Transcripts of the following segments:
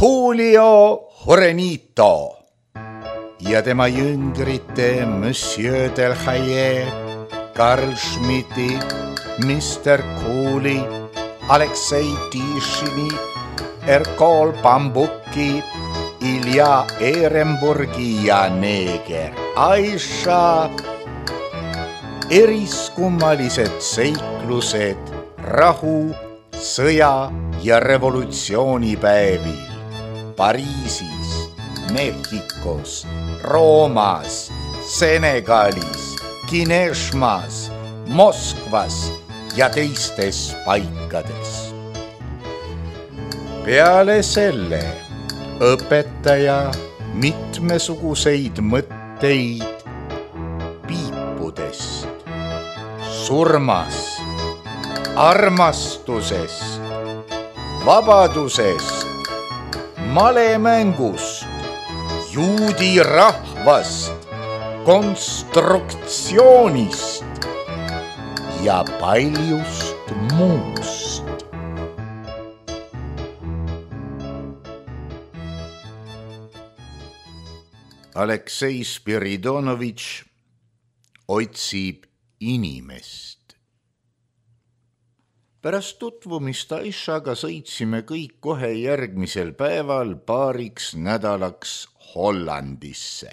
Julio Jurenito ja tema jüngrite Monsieur Delhaye, Karl Schmidti, Mr. Cooley, Aleksei Tishini, Erkol Bambuki, Ilja Ehrenburgi ja neeger Aisha. Eriskummalised seiklused rahu, sõja ja revolutsioonipäevil Pariisis, Mehhikos, Roomas, Senegalis, Kineshmas, Moskvas ja teistes paikades. Peale selle õpetaja mitmesuguseid mõtteid piipudest, surmast, armastusest, vabadusest, malemängust, juudi rahvast, konstruktsioonist ja paljust muust. Aleksei Spiridonovitš otsib inimest. Pärast tutvumist Aishaga sõitsime kõik kohe järgmisel päeval paariks nädalaks Hollandisse,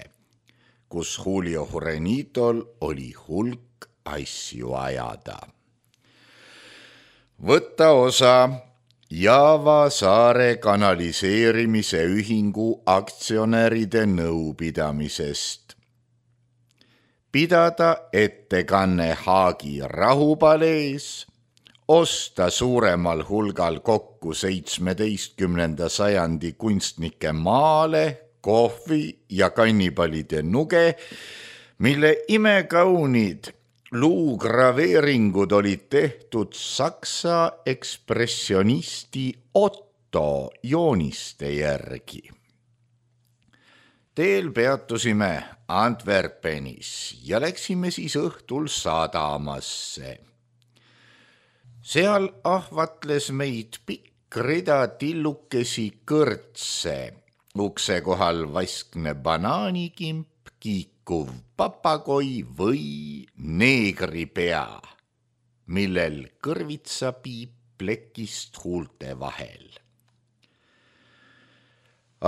kus Julio Jurenitol oli hulk asju ajada. Võtta osa Java saare kanaliseerimise ühingu aktsionäride nõupidamisest, pidada ettekanne Haagi rahupalees, osta suuremal hulgal kokku 17. sajandi kunstnike maale, kohvi ja kannipalide nuge, mille imekaunid luugraveeringud olid tehtud saksa ekspressionisti Otto jooniste järgi. Teel peatusime Antwerpenis ja läksime siis õhtul sadamasse. Seal ahvatles meid pikk rida tillukesi kõrtse, ukse kohal vaskne banaanikimp, kiikuv papagoi või neegripea, millel kõrvitsa piip plekist huulte vahel.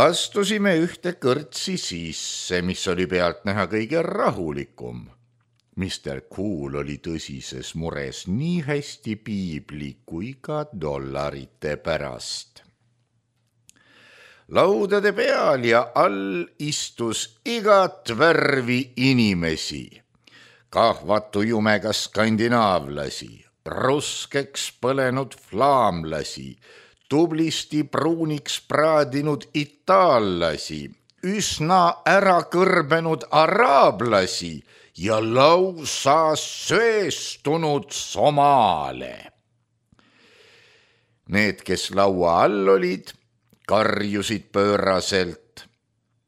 Astusime ühte kõrtsi sisse, mis oli pealt näha kõige rahulikum. Mr. Cool oli tõsises mures nii hästi piibli kui ka dollarite pärast. Laudade peal ja all istus igat värvi inimesi, kahvatu jumega skandinaavlasi, ruskeks põlenud flaamlasi, tublisti pruuniks praadinud itaallasi, üsna ära kõrbenud araablasi ja lausa söestunud somaale. Need, kes laua all olid, karjusid pööraselt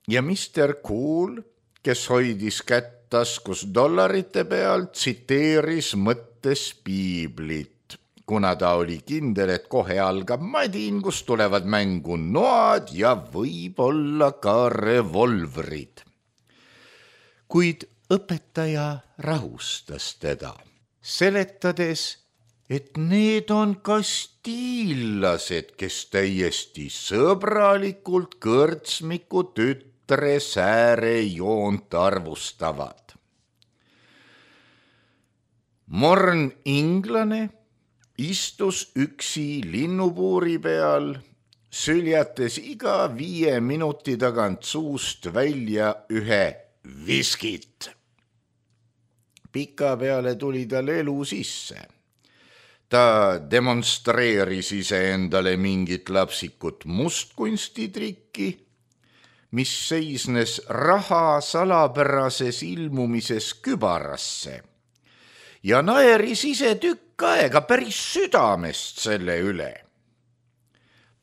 ja Mr. Cool, kes hoidis kätt taskus dollarite peal, tsiteeris mõttes piiblit, kuna ta oli kindel, et kohe algab madin, kus tulevad mängu noad ja võib-olla ka revolvrid. Kuid õpetaja rahustas teda, seletades, et need on kastiillased, kes täiesti sõbralikult kõrtsmiku tütre säärejoont arvustavad. Morn inglane istus üksi linnupuuri peal, süljates iga 5 minuti tagant suust välja ühe viskit. Pika peale tuli tal elu sisse. Ta demonstreeris iseendale mingit lapsikut mustkunstitrikki, mis seisnes raha salapärases ilmumises kübarasse ja naeris ise tükk aega päris südamest selle üle.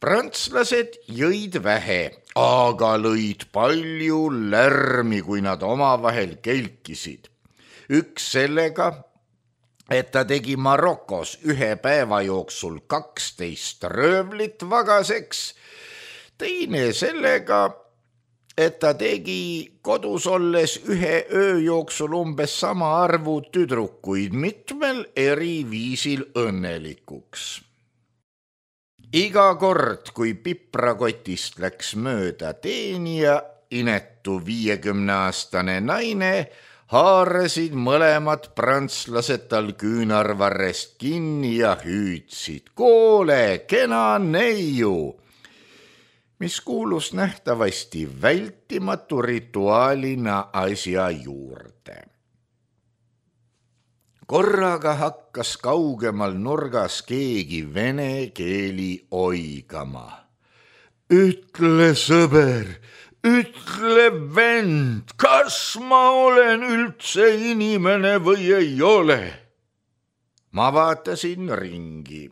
Prantslased jõid vähe, aga lõid palju lärmi, kui nad omavahel kelkisid. Üks sellega, et ta tegi Marokos 1 päeva jooksul 12 röövlit vagaseks, teine sellega, et ta tegi kodus olles ühe öö jooksul umbes sama arvu tüdrukuid mitmel eri viisil õnnelikuks. Iga kord, kui piprakotist läks mööda teenija, inetu 50-aastane naine, haarasid mõlemad prantslased tal küünarvarrest kinni ja hüüdsid: "Koole, kena neiu!", mis kuulus nähtavasti vältimatu rituaalina asja juurde. Korraga hakkas kaugemal nurgas keegi vene keeli oigama. "Ütle, sõber, ütle, vend, kas ma olen üldse inimene või ei ole?" Ma vaatasin ringi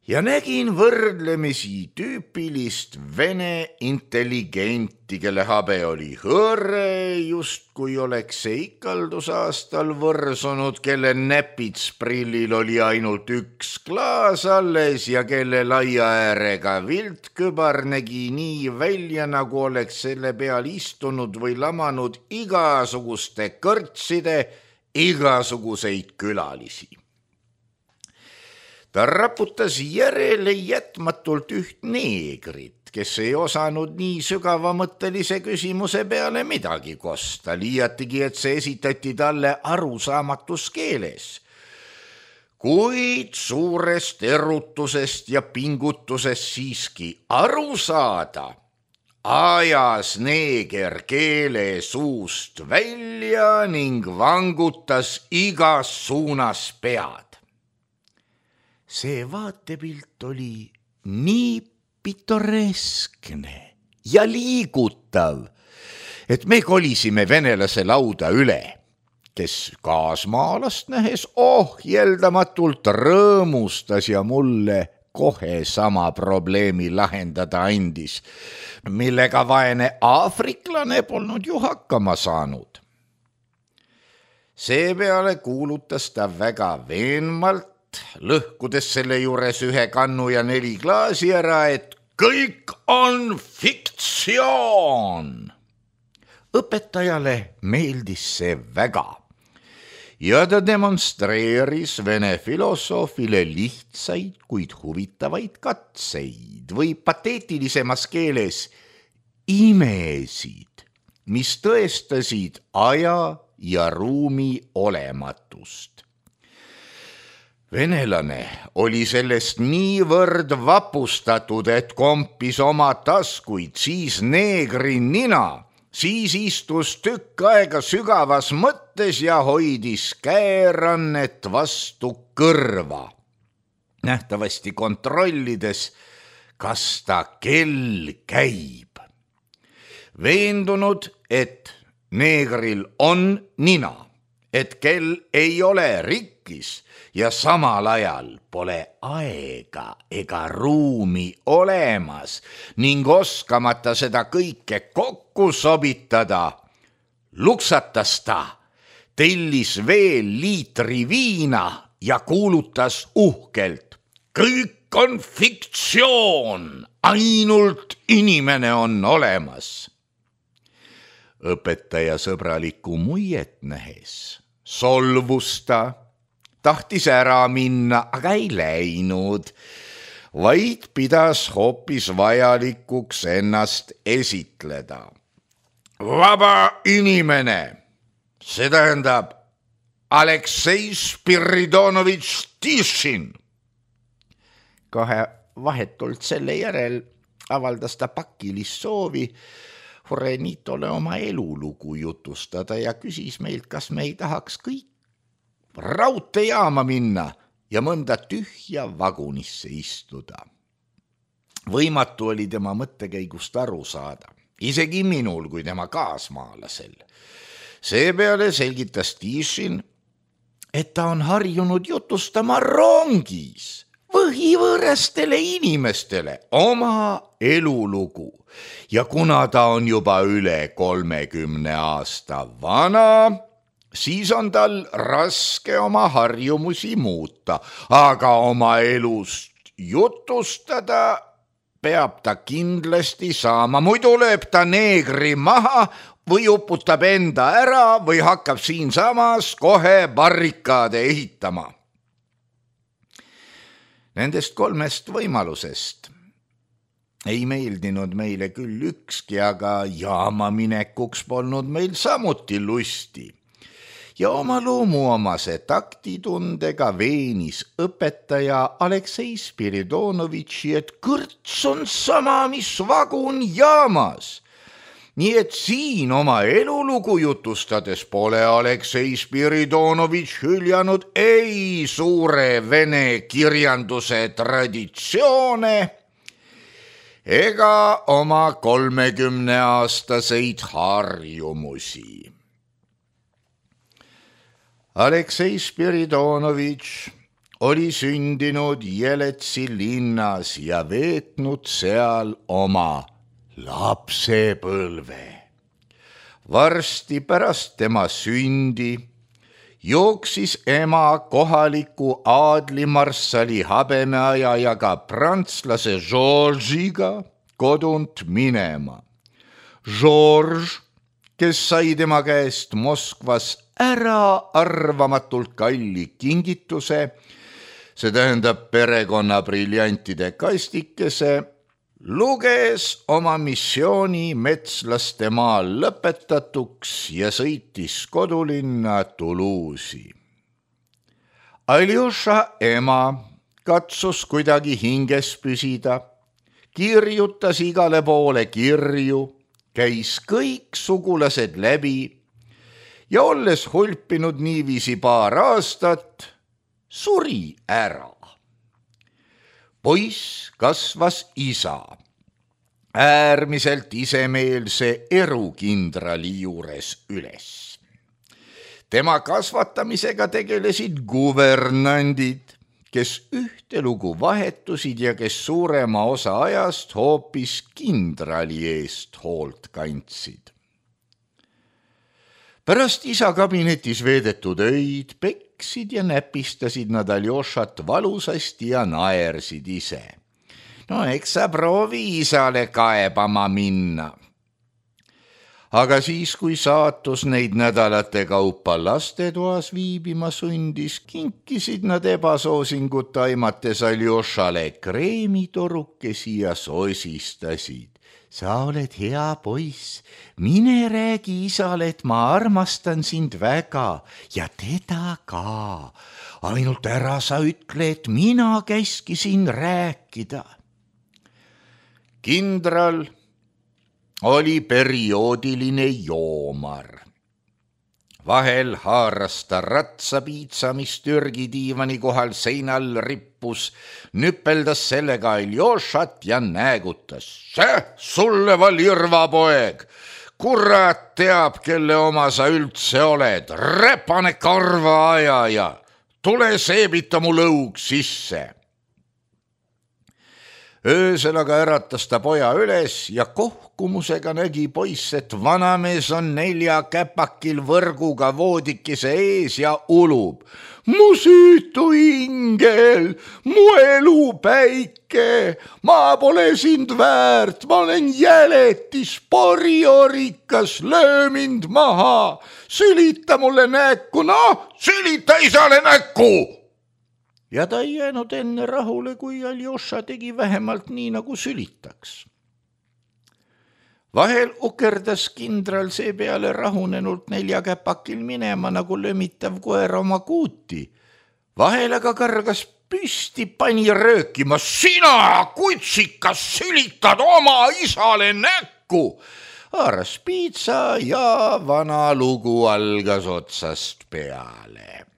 ja nägin võrdlemisi tüüpilist vene intelligenti, kelle habe oli hõõre, justkui oleks see ikaldusaastal võrsunud, kelle näpitsprillil oli ainult üks klaas alles ja kelle laia äärega viltkübar nägi nii välja, nagu oleks selle peal istunud või lamanud igasuguste kõrtside igasuguseid külalisi. Ta raputas järele jätmatult üht neegrit, kes ei osanud nii sügavamõttelise küsimuse peale midagi kosta, liiatigi, et see esitati talle arusaamatus keeles. Kuid suurest erutusest ja pingutusest siiski aru saada, ajas neeger keele suust välja ning vangutas igas suunas pead. See vaatepilt oli nii pitoreskne ja liigutav, et me kolisime venelase lauda üle, kes kaasmaalast nähes ohjeldamatult rõõmustas ja mulle kohe sama probleemi lahendada andis, millega vaene aafriklane polnud ju hakkama saanud. Seepeale kuulutas ta väga veenmalt, lõhkudes selle juures ühe kannu ja 4 klaasi ära, et kõik on fiktsioon. Õpetajale meeldis see väga ja ta demonstreeris vene filosoofile lihtsaid, kuid huvitavaid katseid või pateetilisemas keeles imesid, mis tõestasid aja ja ruumi olematust. Venelane oli sellest niivõrd vapustatud, et kompis oma taskuid, siis neegri nina, siis istus tükk aega sügavas mõttes ja hoidis käerannet vastu kõrva, nähtavasti kontrollides, kas ta kell käib. Veendunud, et neegril on nina, et kell ei ole rikkis ja samal ajal pole aega ega ruumi olemas ning oskamata seda kõike kokku sobitada, luksatas ta, tellis veel liitri viina ja kuulutas uhkelt: "Kõik on fiktsioon, ainult inimene on olemas." Õpetaja sõbralikku muiet nähes solvus ta, tahtis ära minna, aga ei läinud, vaid pidas hoopis vajalikuks ennast esitleda. Vaba inimene, see tähendab Aleksei Spiridonovitš Tišin. Kohe vahetult selle järel avaldas ta pakilist soovi Horenitole oma elulugu jutustada ja küsis meilt, kas me ei tahaks kõik raudteejaama minna ja mõnda tühja vagunisse istuda. Võimatu oli tema mõttekäigust aru saada, isegi minul kui tema kaasmaalasel. Seepeale selgitas Tišin, et ta on harjunud jutustama rongis põhivõõrastele inimestele oma elulugu ja kuna ta on juba üle 30 aasta vana, siis on tal raske oma harjumusi muuta, aga oma elust jutustada peab ta kindlasti saama, muidu lööb ta neegri maha või uputab enda ära või hakkab siinsamas kohe barrikaade ehitama. Nendest 3 võimalusest ei meeldinud meile küll ükski, aga jaama minekuks polnud meil samuti lusti. Ja oma loomuomase taktitundega veenis õpetaja Aleksei Spiridonovitši, et kõrts on sama, mis vagun jaamas. Nii et siin oma elulugu jutustades pole Aleksei Spiridonovitš hüljanud ei suure vene kirjanduse traditsioone ega oma 30-aastaseid harjumusi. Aleksei Spiridonovitš oli sündinud Jeletsi linnas ja veetnud seal oma lapsepõlve. Varsti pärast tema sündi jooksis ema kohaliku aadlimarssali habemeajajaga prantslase Georgiga kodunt minema. George, kes sai tema käest Moskvas äraarvamatult kalli kingituse, see tähendab perekonna briljantide kastikese, luges oma missiooni metslaste maal lõpetatuks ja sõitis kodulinna Toulouse'i. Aljoša ema katsus kuidagi hinges püsida, kirjutas igale poole kirju, käis kõik sugulased läbi ja olles hulpinud niiviisi paar aastat, suri ära. Poiss kasvas isa, äärmiselt isemeelse erukindrali juures üles. Tema kasvatamisega tegelesid guvernandid, kes ühtelugu vahetusid ja kes suurema osa ajast hoopis kindrali eest hoolt kandsid. Pärast isa kabinetis veedetud öid peksid ja näpistasid nad Aljošat valusasti ja naersid ise. No eks sa proovi isale kaebama minna. Aga siis, kui saatus neid nädalate kaupa lastetoas viibima sundis, kinkisid nad ebasoosingut aimates Aljošale kreemitorukesi ja sosistasid. Sa oled hea poiss, mine räägi isale, et ma armastan sind väga ja teda ka. Ainult ära sa ütle, et mina käskisin rääkida. Kindral oli perioodiline joomar. Vahel haaras ta ratsapiitsa, mis Türgi diivani kohal seinal rippus, nüpeldas sellega Aljošat ja näägutas. See sulle valirva poeg, kurat teab, kelle oma sa üldse oled, räpane karvaajaja, tule seebita mu lõug sisse. Öösel aga äratas ta poja üles ja kohkumusega nägi poiss, et vanamees on 4 käpakil võrguga voodikese ees ja ulub. Mu süütu ingel, mu elupäike, ma pole sind väärt, ma olen jäletis, poriorikas, löö mind maha, sülita mulle näkku, sülita isale näkku! Ja ta ei jäänud enne rahule, kui Aljoša tegi vähemalt nii, nagu sülitaks. Vahel ukerdas kindral seepeale rahunenult 4 käpakil minema, nagu lömitav koer oma kuuti. Vahel aga kargas püsti, pani röökima. Sina, kutsikas, sülitad oma isale näkku! Haaras piitsa ja vana lugu algas otsast peale.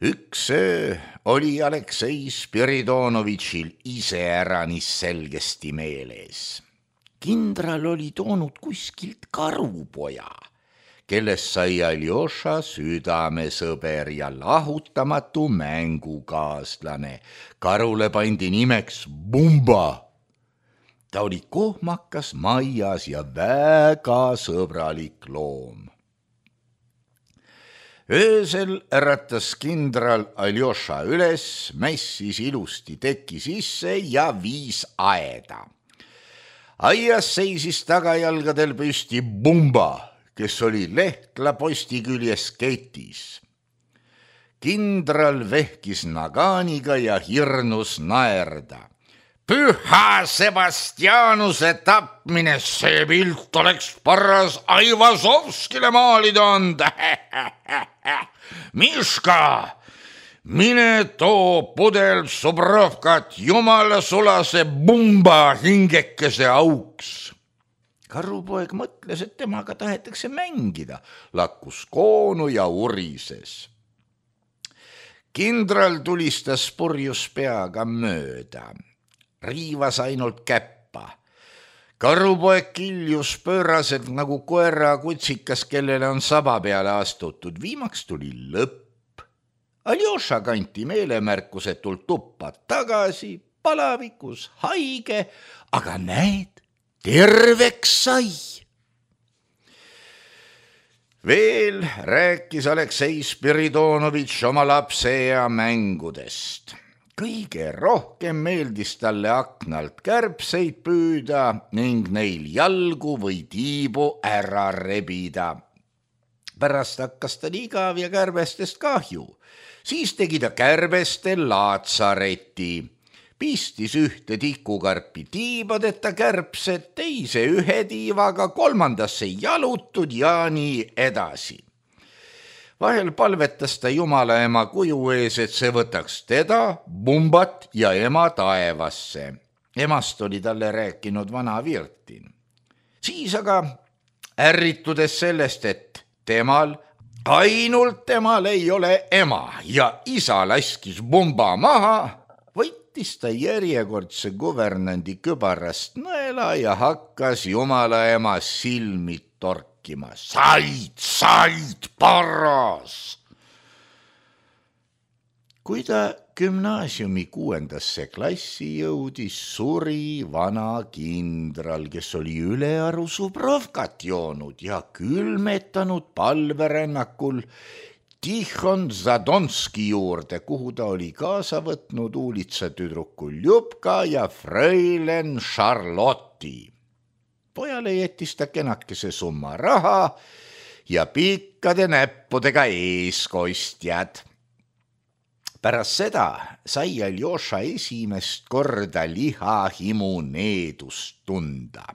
Üks öö oli Aleksei Spiridonovitšil iseäranis selgesti meeles. Kindral oli toonud kuskilt karupoja, kellest sai Aljoša südamesõber ja lahutamatu mängukaaslane. Karule pandi nimeks Bumba. Ta oli kohmakas, maias ja väga sõbralik loom. Öösel äratas kindral Aljoša üles, mässis ilusti teki sisse ja viis aeda. Aias seisis tagajalgadel püsti Bumba, kes oli Lehtla posti küljes ketis. Kindral vehkis naganiga ja hirnus naerda. Püha Sebastianuse tapmine, see pilt oleks paras Aivazovskile maalida anda. Miška, mine too pudel Subrovkat jumala sulase Bumba hingekese auks. Karupoeg mõtles, et temaga tahetakse mängida, lakkus koonu ja urises. Kindral tulistas purjus peaga mööda. Riivas ainult käppa. Karupoeg kiljus pööraselt nagu koera kutsikas, kellele on saba peale astutud. Viimaks tuli lõpp. Aljoša kanti meelemärkusetult tuppa tagasi, palavikus, haige, aga näed, terveks sai. Veel rääkis Aleksei Spiridonovitš oma lapse ja mängudest. Kõige rohkem meeldis talle aknalt kärbseid püüda ning neil jalgu või tiibu ära rebida. Pärast hakkas ta igav ja kärbestest kahju. Siis tegi ta kärbestel laatsareti. Pistis ühte tikukarpi tiibadeta kärbsed, teise ühe tiivaga, kolmandasse jalutud ja nii edasi. Vahel palvetas ta Jumala ema kuju ees, et see võtaks teda, Bumbat ja ema taevasse. Emast oli talle rääkinud vana Virtin. Siis aga ärritudes sellest, et ainult temal ei ole ema ja isa laskis Bumba maha, võttis ta järjekordse kuvernandi kübarast nõela ja hakkas Jumala ema silmi torkima. Said, paras! Kui ta gümnaasiumi 6. klassi jõudis, suri vana kindral, kes oli ülearu Subrovkat joonud ja külmetanud palverännakul Tihon Zadonski juurde, kuhu ta oli kaasa võtnud uulitsatüdruku Ljubka ja Freilen Charlotti. Pojale jättis ta kenakese summa raha ja pikkade näppudega eeskostjad. Pärast seda sai Aljoša esimest korda lihahimu needust tunda.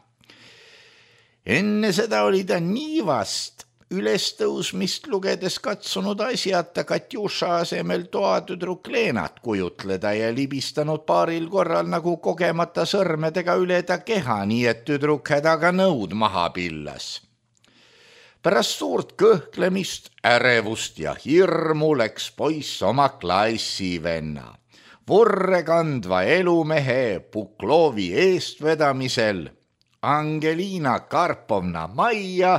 Enne seda oli ta nii vast ülestõusmist lugedes katsunud asjata Katjuša asemel toatüdruk Leenat kujutleda ja libistanud paaril korral nagu kogemata sõrmedega üle ta keha, nii et tüdruk hädaga nõud maha pillas. Pärast suurt kõhklemist, ärevust ja hirmu läks poiss oma klassivenna. Vurre kandva elumehe Puklovi eestvedamisel Angelina Karpovna majja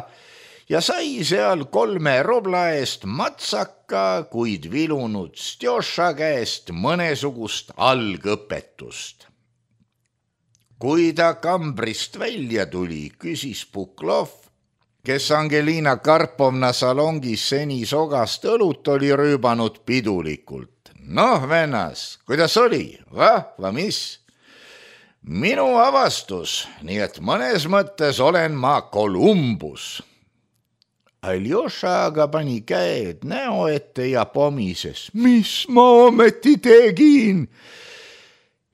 ja sai seal 3 rubla eest matsaka, kuid vilunud Stjoša käest mõnesugust algõpetust. Kui ta kambrist välja tuli, küsis Puklov, kes Angelina Karpovna salongis seni sogast õlut oli rüübanud pidulikult. Noh, vennas, kuidas oli? Vahva, mis? Minu avastus, nii et mõnes mõttes olen ma Kolumbus. Aljoša aga pani käed näo ette ja pomises. Mis ma ometi tegin?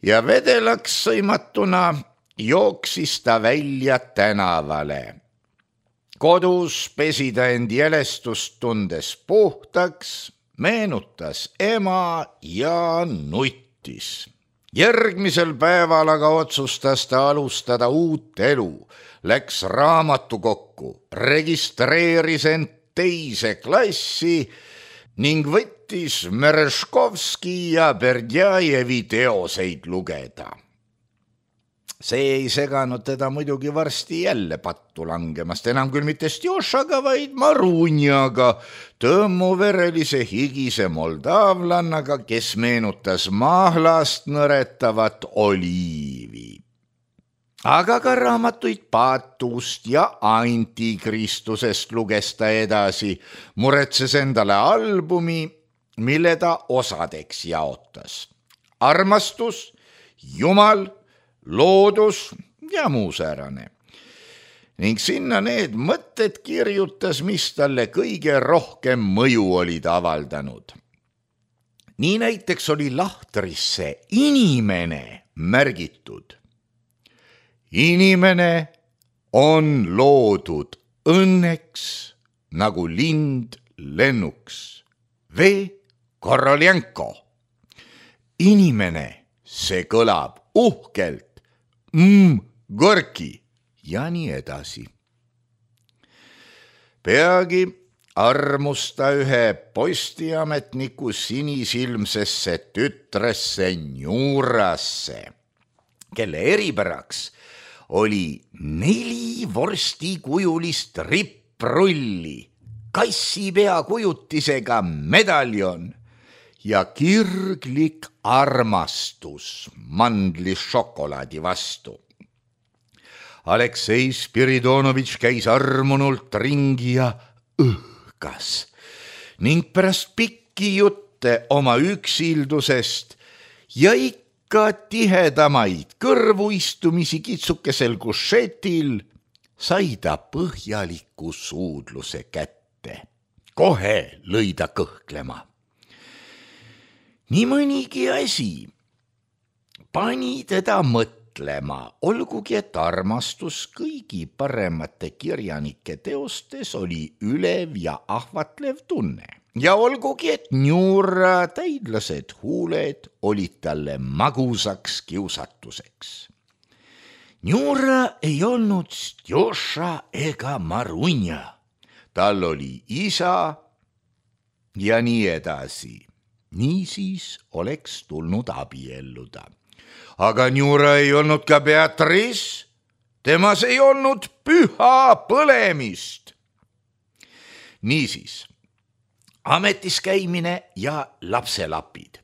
Ja vedelaks sõimatuna jooksis ta välja tänavale. Kodus pesi ta end jälestust tundes puhtaks, meenutas ema ja nuttis. Järgmisel päeval aga otsustas ta alustada uut elu. Läks raamatukokku, registreeris end 2. klassi ning võttis Mereškovski ja Berdjajevi teoseid lugeda. See ei seganud teda muidugi varsti jälle pattu langemast, enam küll mitte Stjošaga, vaid Marunjaga, tõmmuverelise higise moldavlannaga, kes meenutas mahlast nõretavat oliivi. aga ka raamatuid Paatust ja Antikristusest luges ta edasi, muretses endale albumi, mille ta osadeks jaotas. Armastus, Jumal, loodus ja muu säärane. Ning sinna need mõtted kirjutas, mis talle kõige rohkem mõju olid avaldanud. Nii näiteks oli lahtrisse inimene märgitud. Inimene on loodud õnneks nagu lind lennuks. V. Koroljenko. Inimene, see kõlab uhkelt. Gorki. Ja nii edasi. Peagi armus ta ühe postiametniku sinisilmsesse tütresse Njurasse, kelle eripäraks oli 4 vorstikujulist ripprulli, kassipea kujutisega medaljon ja kirglik armastus mandlišokolaadi vastu. Aleksei Spiridonovitš käis armunult ringi ja õhkas ning pärast pikki jutte oma üksildusest ja ikka tihedamaid kõrvuistumisi kitsukesel kušetil sai ta põhjaliku suudluse kätte. Kohe lõi ta kõhklema. Nii mõnigi asi pani teda mõtlema, olgugi et armastus kõigi paremate kirjanike teostes oli ülev ja ahvatlev tunne. Ja olgugi et Njura täidlased huuled olid talle magusaks kiusatuseks. Njura ei olnud Stjoša ega Marunja. Tal oli isa ja nii edasi. Niisiis oleks tulnud abielluda. Aga Njura ei olnud ka Beatrice, temas ei olnud püha põlemist. Niisiis, ametis käimine ja lapselapid.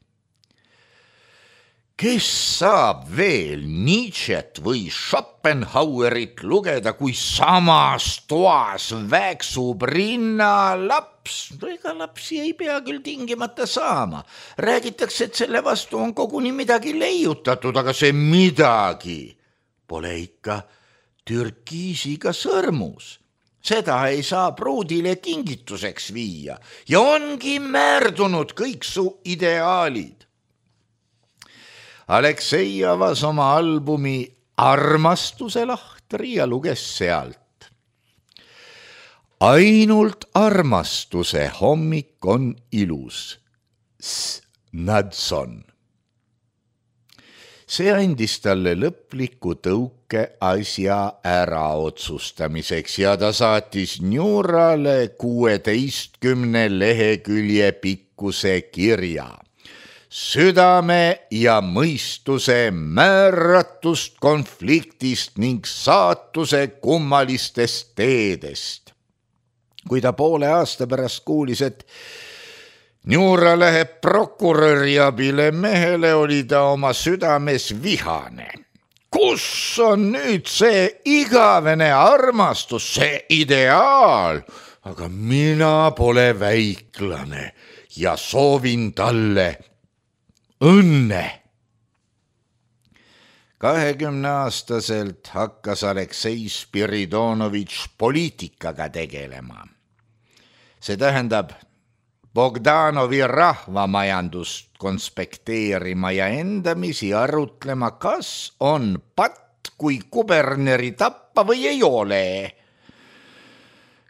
Kes saab veel Nietzschet või Schopenhauerit lugeda, kui samas toas väksub rinnalaps? Ega lapsi ei pea küll tingimata saama. Räägitakse, et selle vastu on koguni midagi leiutatud, aga see midagi pole ikka türkiisiga sõrmus. Seda ei saa pruudile kingituseks viia ja ongi määrdunud kõik su ideaalid. Aleksei avas oma albumi Armastuse lahtri ja luges sealt. Ainult armastuse hommik on ilus. Nadson. See andis talle lõpliku tõuke asja ära otsustamiseks ja ta saatis Njurale 16 lehekülje pikkuse kirja. Südame ja mõistuse määratust konfliktist ning saatuse kummalistest teedest. Kui ta poole aasta pärast kuulis, et Njura läheb prokuröri abile mehele, oli ta oma südames vihane. Kus on nüüd see igavene armastus, see ideaal? Aga mina pole väiklane ja soovin talle õnne. 20-aastaselt hakkas Aleksei Spiridonovitš poliitikaga tegelema. See tähendab Bogdanovi rahvamajandust konspekteerima ja endamisi arutlema, kas on patt, kui kuberneri tappa või ei ole.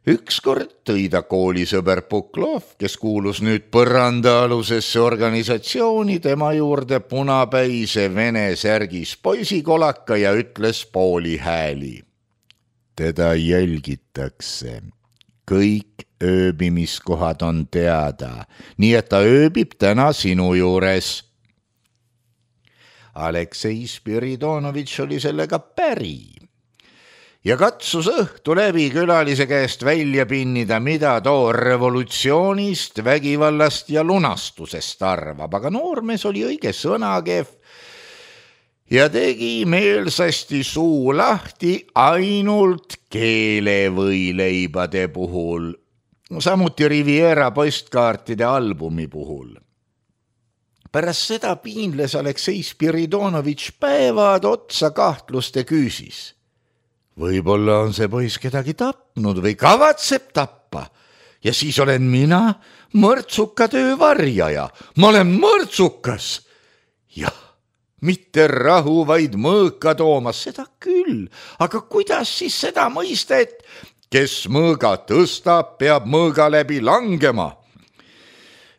Ükskord tõi ta koolisõber Puklov, kes kuulus nüüd põrandaalusesse organisatsiooni, tema juurde punapäise vene särgis poisikolaka ja ütles pooli hääli. Teda jälgitakse. Kõik ööbimiskohad on teada, nii et ta ööbib täna sinu juures. Aleksei Spiridonovitš oli sellega päri ja katsus õhtu läbi külalise käest välja pinnida, mida too revolutsioonist, vägivallast ja lunastusest arvab, aga noormees oli õige sõnakev ja tegi meelsasti suu lahti ainult keelevõileibade puhul, samuti Riviera postkaartide albumi puhul. Pärast seda piinles Aleksei Spiridonovitš päevad otsa kahtluste küüsis. Võib-olla on see poiss kedagi tapnud või kavatseb tappa ja siis olen mina mõrtsuka töö varjaja. Ma olen mõrtsukas. Jah, mitte rahu, vaid mõõka toomas, seda küll. Aga kuidas siis seda mõista, et kes mõõga tõstab, peab mõõga läbi langema?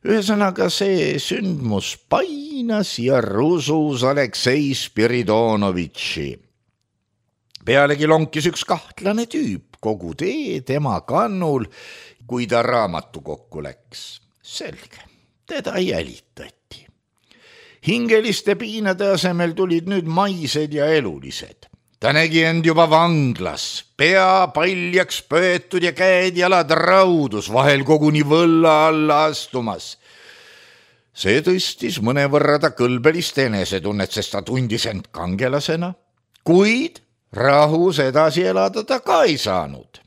Ühesõnaga see sündmus painas ja rusus Aleksei Spiridonovitši. Pealegi lonkis üks kahtlane tüüp kogu tee tema kannul, kui ta raamatu kokku läks. Selge, teda jälitati. Hingeliste piinade asemel tulid nüüd maised ja elulised. Ta nägi end juba vanglas, pea paljaks pöetud ja käed-jalad raudus, vahel koguni võlla alla astumas. See tõstis mõnevõrra ta kõlbelist enesetunnet, sest ta tundis end kangelasena, kuid rahus edasi elada ta ka ei saanud.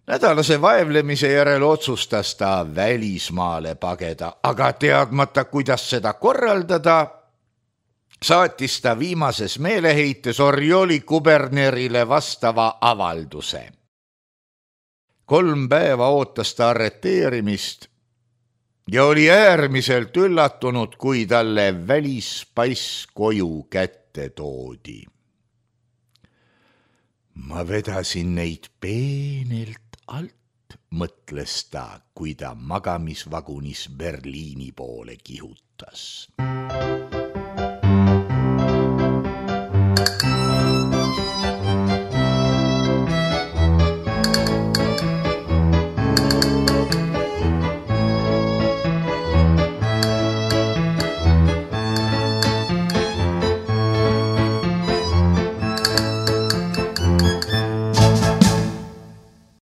Nädalase vaevlemise järel otsustas ta välismaale pageda, aga teadmata, kuidas seda korraldada, saatis ta viimases meeleheites Orjoli kubernerile vastava avalduse. 3 päeva ootas ta arreteerimist ja oli äärmiselt üllatunud, kui talle välispass koju kätte toodi. Ma vedasin neid peenelt alt, mõtles ta, kui ta magamisvagunis Berliini poole kihutas.